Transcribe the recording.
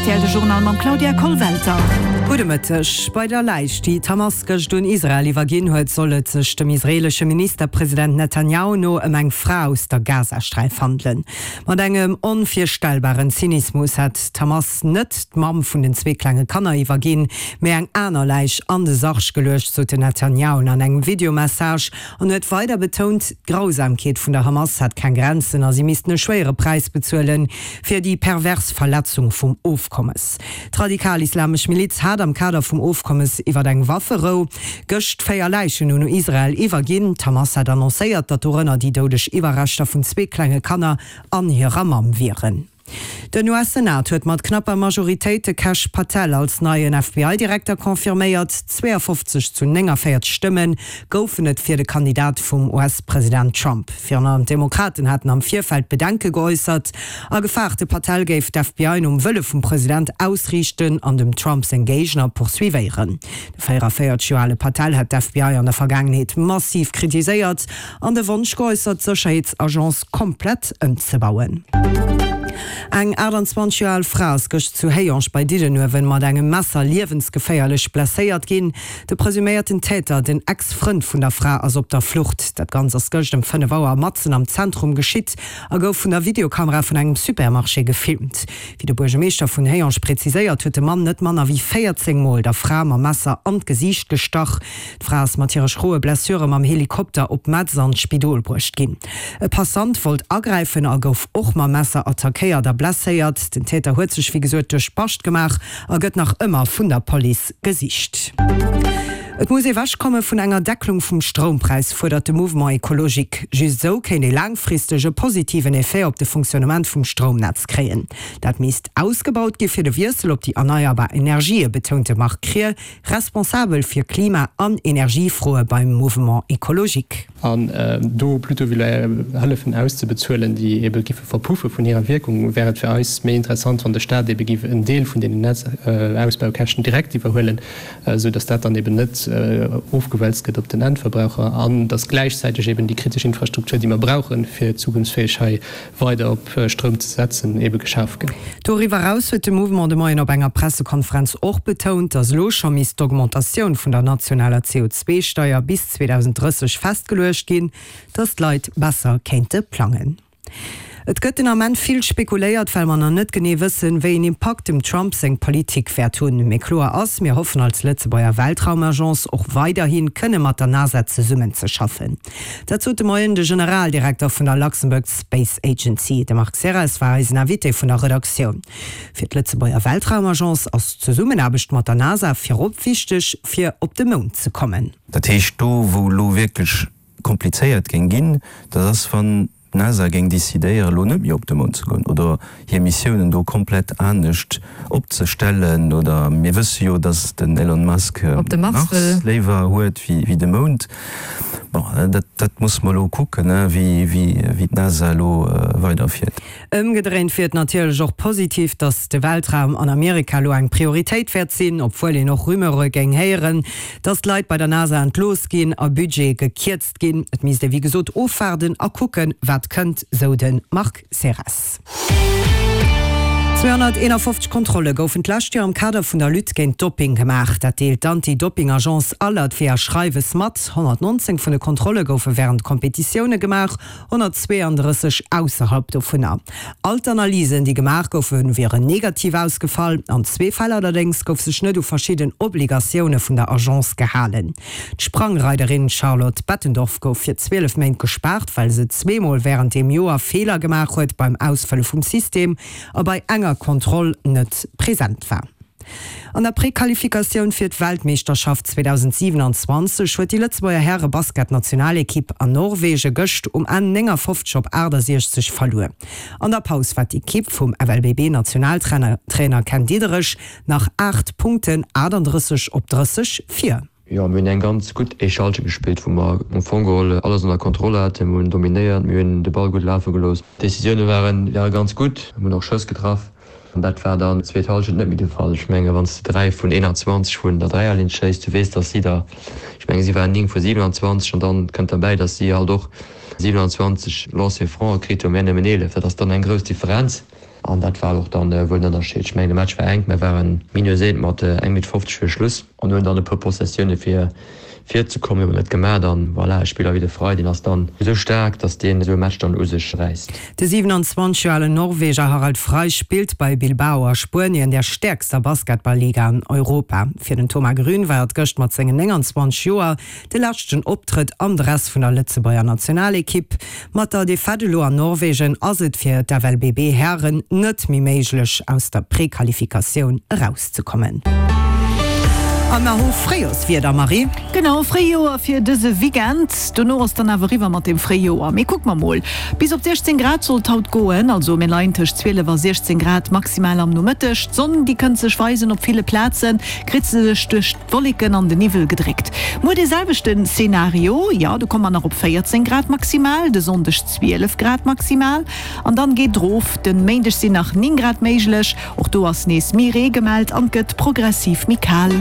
rtl, de Journal mam Claudia Kollwelter. Gudde Mëtteg. Bei der Läich, déi d'Hamas gëscht un Israel iwwerginn huet, soll et sech dem israeelesche Ministerpresident Netanjahu no ëm eng Fra aus der Gazasträif handelen. Mat engem onvirstellbaren Zynismus hätt d'Hamas net d'Mamm vun den zwee klenge Kanner iwwerginn, mee eng aner Läich an de Sarg geluecht, sot den Netanjahu an engem Videomessage an huet weider betount, d'Grausamkeet vun der Hamas hätt keng Grenzen a si missten e schwéiere Präis bezuelen, fir déi pervers Verletzung vum Ofkommes. D'radikal-islamesch Miliz hat am Kader vum Ofkommes iwwer eng Wafferou gëscht 4 Läichen un Israel iwwerginn. D'Hamas hat annoncéiert, datt dorënner déi doudeg Iwwerreschter vun zwee klenge Kanner an hirer Mamm wieren. Den US-Senat huet mat knapper Majoritéit de Kash Patel als neien FBI-Direkter confirméiert. 52 zu 49 Stëmme goufen et fir de Kandidat vum US-President Trump. Virun allem d'Demokraten haten am Virfeld Bedenke geäussert a gefaart, de Patel géif d'FBI nom Wëlle vum President ausriichten an dem Trump seng Géigner poursuivéieren. De 44 Joer ale Patel hat d'FBI an der Vergaangenheet massiv kritiséiert an de Wonsch geäussert, d'Sécherheetsagence komplett ëmzebauen. Eng 28 Joer al Fra ass gëscht zu Hayange bei Diddenuewen mat engem Messer liewensgeféierlech blesséiert ginn. De presuméierten Täter, den Ex-Frënd vun der Fra, ass op der Flucht. Dat Ganzt ass gëscht ëm 5 Auer matzen am Zentrum geschitt a gouf vun der Videokamera vun engem Supermarché gefilmt. Wéi de Buergermeeschter vun Hayange präziséiert, huet de Mann net manner wéi 14 Mol der Fra mam Messer an d'Gesiicht gestach. D'Fra ass mat hire schroe Blessure mam Helikopter op Metz an d'Spidol bruecht ginn. E Passant wollt agräifen a gouf och mam Messer attackéiert a blesséiert. Den Täter huet sech wéi gesot duerch d'Bascht gemaach a gëtt nach ëmmer vun der Police gesicht. Et muss ewech komme vun enger Decklung vum Stroumpräis, fuerdert de Mouvement Ecologique. Just esou kéint ee laangfristeg e positiven Effet op de Fonctionnement vum Stroumnetz kréien. Dat misst ausgebaut gi fir de Wiessel op déi erneierbar Energië, betount de Marc Krier, Responsabel fir Klima an Energiefroe beim Mouvement Ecologique. An do plutôt wéi Hëllefen auszebezuelen, déi ebe giffe verpuffe vun hirer Wierkung, wär et fir eis méi interessant, wann de Stat ebe giff en Deel vun deenen Netzausbaukäschten direkt iwwerhuelen, esou datt dat dann eben net ofgewälzt gëtt op den Endverbraucher an datt gläichzäiteg eben déi kritesch Infrastruktur, déi mer brauchen, fir zukunftsfäeg hei weider op Stroum ze setzen, ebe geschaf ginn. Doriwwer eraus huet de Mouvement de Moien op enger Pressekonferenz och betount, datt elo scho misst d'Augmentatioun vun der nationaler CO2-Steier bis 2030 festgeluecht ginn, datt d'Leit besser kéinte plangen. Et gëtt den Ament vill spekuléiert, well mer nach net genee wëssen, wéi een Impakt dem Trump seng Politik wäert hunn. Mee kloer ass, mir hoffen als Lëtzebuerger Weltraumagence och weiderhi kënne mat der NASA zesummenzeschaffen. Dat sot de Moien de Generaldirekter vun der Luxembourg Space Agency. De Marc Serres war eisen Invité vun der Redaktioun. Fir d'Lëtzebuerger Weltraumagence ass d'Zesummenaarbecht mat der NASA virop wichteg, fir op de Mound ze kommen. Dat heescht, do wou elo wierklech komplizéiert géing ginn, dat ass wann d'NASA géing decidéieren, elo net méi op de Mound ze goen oder hir Missiounen do komplett anescht opzestellen. Oder mir wësse jo, datt den Elon Musk de Mars léiwer huet wéi de Mound. Bon, dat, dat musse mer elo kucken, wéi, wéi d'NASA elo weiderfiert. Ëmgedréint wier et natierlech och positiv, datt de Weltraum an Amerika elo eng Prioritéit wäert sinn, obwuel een och Rumeure géing héieren, datt Leit bei der NASA entlooss ginn a Budgete gekierzt ginn. Et misst ee wéi gesot ofwaarden a kucken, wat kënnt, sou de Marc Serres. 251 Kontrolle goufen d'lescht Joer am Kader vun der Lutte géint Dopping gemaach. Dat deelt d'Anti-Dopping-Agence Alert via Schreiwes mat. 119 vun de Kontrolle goufe wärend Kompetitioune gemaach, 132 ausserhalb dovunner. All d'Analysen, déi gemaach goufen, wieren negativ ausgefall. An zwee Fäll allerdéngs gouf sech net u verschidden Obligatioune vun der Agence gehalen. D'Sprangreiderin Charlotte Bettendorf gouf fir 12 Méint gespaart, well se zweemol wärend deem Joer Feeler gemaach huet beim Ausfëlle vum System a bei enger Kontroll net present war. An der Prequalifikatioun fir d'Weltmeeschterschaft 2027 huet déi Lëtzebuerger Häre-Basketnationalekipp an Norwege gëscht um Enn 59 op 68 verluer. An der Paus war d'Ekipp vum FLBB-Nationaltrainer Trainer Ken Diederich nach 8 Punkten, 38 op 30, vir. Jo, mir hunn eng ganz gutt éischt Halschent gespillt, wou mer am Fong geholl alles ënner Kontroll haten. Mir hunn dominéiert, mir hunn de Ball gutt lafe gelooss. D'Decisioune waren ware ganz gutt, mir hunn och Schëss getraff. An dat war dann d'zweet Halschent net méi de Fall. Ech menge wann s de 3 vun 21 vun der Dräierlinn schéiss, du weess, datt si der, ech menge si waren 9 vu 27 an dann kënnt derbäi, datt si halt och. 27 Lancers francs kritt hunn, mir nëmmen 11. Dat ass dann eng grouss Differenz an dat war och dann wuel den Ënnerscheed. Ech mengen de Match war enk, mir waren minus eent mat eng Minutt 50 fir Schluss an hunn dann e puer Possessioune fir virzekommen, hu mer net gemaach an voilà, e Spiller wéi de Frey, deen ass dann esou staark, datt deen esou e Match dann u sech räisst. De 27 Joer alen Norweger Harald Frey spillt bei Bilbao a Spuenien, der stäerkster Basketball-Liga an Europa. Fir den Thomas Grün war et gëscht mat sengen 29 Joer de leschten Optrëtt am Dress vun der Lëtzebuerger Nationalekipp. Mat der Defaite elo an Norwegen ass et fir d'FLBB-Hären net méi méiglech, aus der Prequalifikatioun erauszekommen. A mer hu Fréijorswieder, Marie. Genau, Fréijoer fir dëse Weekend. Dono ass dann awer eriwwer mat dem Fréijoer. Mee kucke mer mol, Bis op 16 Grad soll et haut goen, also mir leien tëscht 12 a 16 Grad maximal am Nomëtteg. D'Sonn, déi kënnt sech weisen, op ville Plaze kritt se sech duerch d'Wolleken an de Niwwel gedréckt. Muer dee selwechten Szenario, jo do komme mer nach op 14 Grad maximal, de Sonndeg 12 Grad maximal an dann geet et rof. Den Méindeg sinn nach 9 Grad méiglech, och do ass nees méi Ree gemellt an et gëtt progressiv méi kal.